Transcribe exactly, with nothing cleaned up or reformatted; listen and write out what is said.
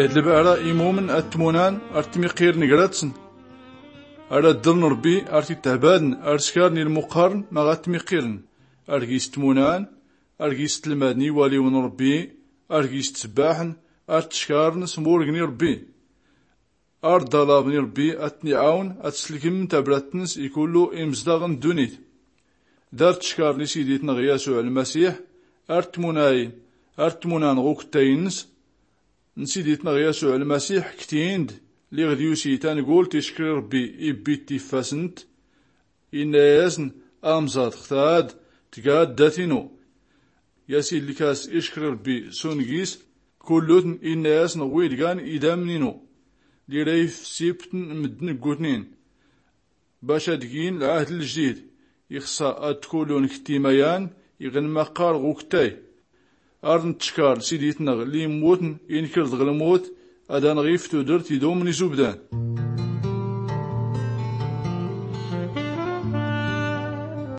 Ed lbɛra imumn ad-tmunan ar-tmiqirn gratn. Ar-addln rbbi ar-titɛbadn ar-skarn ilmuqarn ma ɣ-ad-tmiqirn. Ar-gis tmunan, ar-gis tlmadn iwaliwin rbbi, ar-gis tsbaḥn, ar-tckarn s-murgn irbbi. Ar-ḍalabn irbbi ad-tniɛawn ad-slkmn tabratns ikullu imzdaɣ n-ddunit. Dar-tckarn isidi-tnɣ yasuɛ lmasiḥ, ar-tmunayn, ar-tmunan ɣ-uktay-ns n-sidi-tnɣ yasuɛ lmasiḥ ktin-d. Liɣ d-yusi tangult ickr irbbi ibbi-t tiffasnt. Inna-yasn, amẓad xtad, tgad dat-inu. Yasi lkas ickr irbbi s-ungis. Kullutn inna-yasn ɣwid gan idamn-inu. Lira ifsibtn mddn ggutnin. Bac ad-gin lɛahd ljdid, ixsa ad-tkullun kttimayan iɣ-nmaqqar ɣ-uktay. Ar-ntckar sidi-tnɣ limmutn inkr dɣ-lmut, ad-anɣif tudrt idumn izubdan.